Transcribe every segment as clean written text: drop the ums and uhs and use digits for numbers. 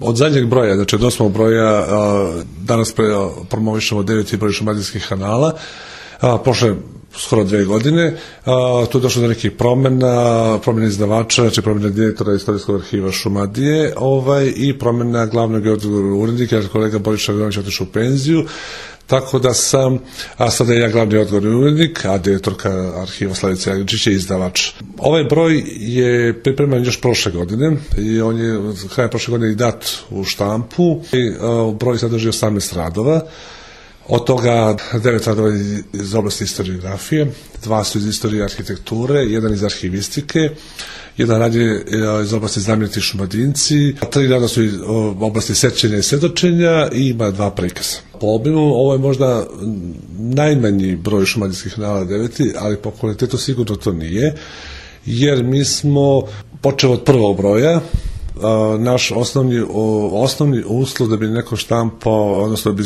Od zadnjeg broja, znači od 8. broja, danas promovišemo 9. broj šumadijskih kanala, prošle skoro 2 godine, tu je došlo do nekih promjena izdavača, znači promjena direktora Istorijskog arhiva Šumadije, i promjena glavnog urednika, jer kolega Boris Šagonović otišao u penziju, tako da sam, a sada je ja glavni odgovorni urednik, a direktorka arhiva Slavica Jagničić je izdavač. Ovaj broj je pripreman još prošle godine i on je krajem prošle godine i dat u štampu. Broj sadrži 18 radova. Od toga 9 radova iz oblasti historiografije, 2 su iz istorije arhitekture, 1 iz arhivistike, 1 rad je iz oblasti znameniti Šumadinci, 3 rada su iz oblasti sećanja i svedočenja i ima 2 prikaza. Po obimu ovo je možda najmanji broj šumadijskih kanala 9, ali po kvalitetu sigurno to nije, jer mi smo počeli od prvog broja. Naš osnovni uslov da bi neko štampao, odnosno da bi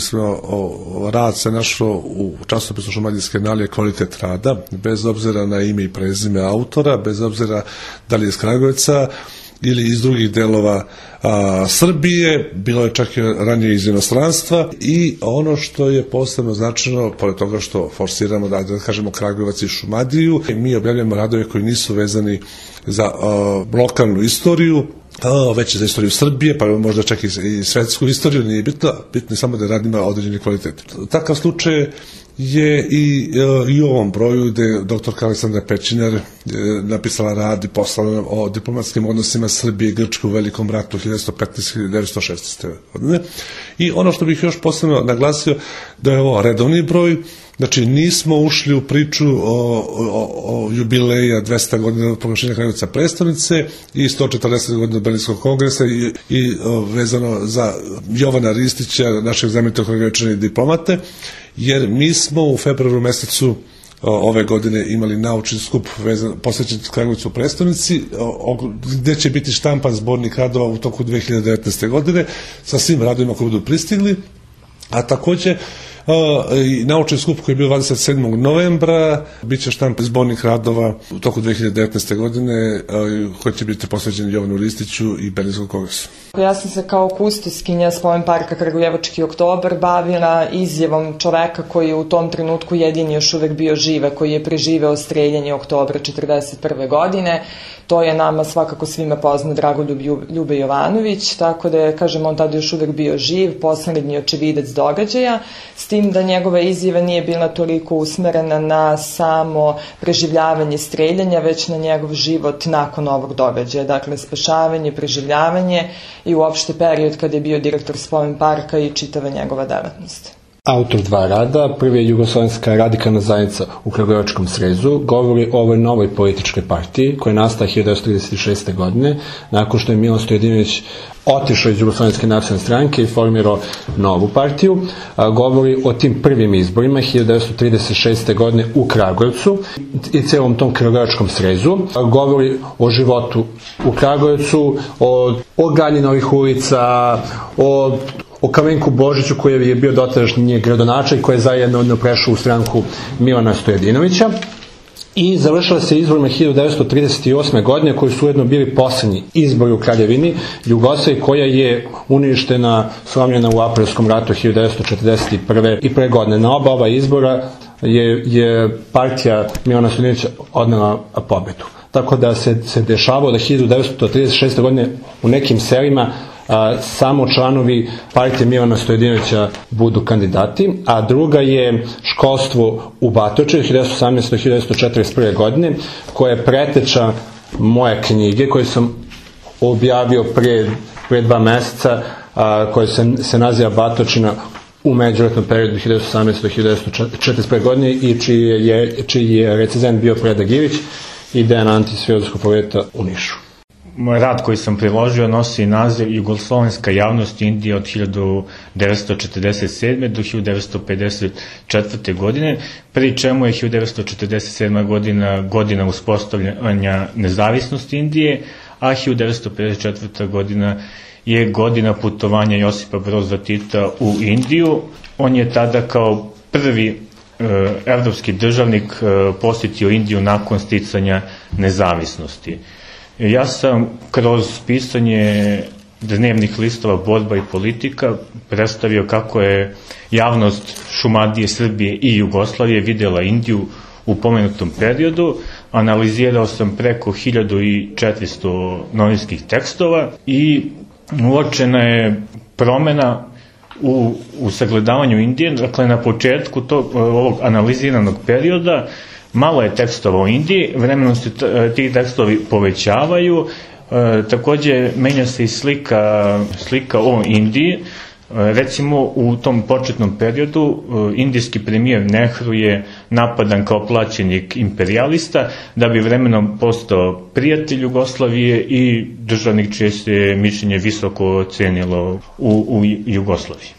rad se našao u časopisu Šumadijske kanale je kvalitet rada, bez obzira na ime i prezime autora, bez obzira da li je iz Kragujevca ili iz drugih delova Srbije, bilo je čak i ranije iz inostranstva. I ono što je posebno značajno, pored toga što forsiramo da kažemo Kragujevac i Šumadiju, mi objavljamo radove koji nisu vezani za lokalnu istoriju, već za istoriju Srbije, pa možda čak i svetsku istoriju, nije bitno je samo da rad ima određeni kvalitet. Takav slučaj je i u ovom broju gde je doktorka Aleksandra Pećinar napisala rad i poslala o diplomatskim odnosima Srbije i Grčke u Velikom ratu 1915-1916. godine. I ono što bih još posebno naglasio da je ovo redovni broj, znači nismo ušli u priču o jubileja 200 godina od proglašenja Kragujevca prestonice i 140 godina od Berlinskog kongresa i vezano za Jovana Ristića, našeg znamenitog kragujevčanina diplomate, jer mi smo u februaru mesecu ove godine imali naučni skup posvećen Kragujevcu prestonici, gde će biti štampan zbornik radova u toku 2019. godine sa svim radovima koji budu pristigli, a takođe i naučni skup koji je bio 27. novembra bit će štamp zbornih radova u toku 2019. godine koji će biti posveđen Jovanu Ristiću i Berlinskom kongresu. Ja sam se kao kustoskinja Spomen parka Kragujevački oktobar bavila izjavom čoveka koji je u tom trenutku jedini još uvek bio živ, koji je preživeo streljanje oktobra 1941. godine. To je nama svakako svima poznat Dragoljub Ljube Jovanović, tako da je, kažem, on tada još uvek bio živ, poslednji očevidac događaja, s tim da njegova izjava nije bila toliko usmerena na samo preživljavanje streljanja, već na njegov život nakon ovog događaja, dakle spašavanje, preživljavanje i uopšte period kada je bio direktor Spomen parka i čitava njegova delatnost. Autor 2 rada, prvi je Jugoslovenska radikalna zajednica u Kragujevačkom srezu, govori o ovoj novoj političkoj partiji koja je nastala 1936. godine, nakon što je Milan Stojadinović otišao iz Jugoslovenske nacionalne stranke i formirao novu partiju. Govori o tim prvim izborima 1936. godine u Kragujevcu i celom tom Kragujevačkom srezu. Govori o životu u Kragujevcu, o gradnji novih ulica, o Kamenku Božiću koji je bio dotadašnji gradonačelnik koji je zajedno prešao u stranku Milana Stojadinovića. I završila se izborima 1938. godine koji su ujedno bili poslednji izbori u Kraljevini Jugoslavije koja je uništena, slomljena u Aprilskom ratu 1941. i pre godine. Na oba ova izbora je partija Milana Stojadinovića odnela pobedu. Tako da se dešavalo da 1936. godine u nekim selima samo članovi partije Milana Stojadinovića budu kandidati, a druga je školstvo u Batočevu 1918-1941. godine, koja je preteča moje knjige koju sam objavio pre 2 meseca, koja se naziva Batočina u međuratnom periodu 1918-1941. godine i čiji je recenzent bio Predrag Ilić i Dejan Antić s Filozofskog fakulteta u Nišu. Moj rad koji sam priložio nosi naziv Jugoslovenska javnost Indije od 1947. do 1954. godine, pri čemu je 1947. godina uspostavljanja nezavisnosti Indije, a 1954. godina je godina putovanja Josipa Broza Tita u Indiju. On je tada kao prvi evropski državnik posjetio Indiju nakon sticanja nezavisnosti. Ja sam kroz pisanje dnevnih listova Borba i politika predstavio kako je javnost Šumadije, Srbije i Jugoslavije videla Indiju u pomenutom periodu. Analizirao sam preko 1400 novinskih tekstova i uočena je promena u sagledavanju Indije. Dakle, na početku ovog analiziranog perioda malo je tekstova o Indiji, vremenom se ti tekstovi povećavaju, takođe menja se i slika o Indiji. Recimo, u tom početnom periodu indijski premijer Nehru je napadan kao plaćenik imperijalista, da bi vremenom postao prijatelj Jugoslavije i državnik čije se mišljenje visoko cenilo u Jugoslaviji.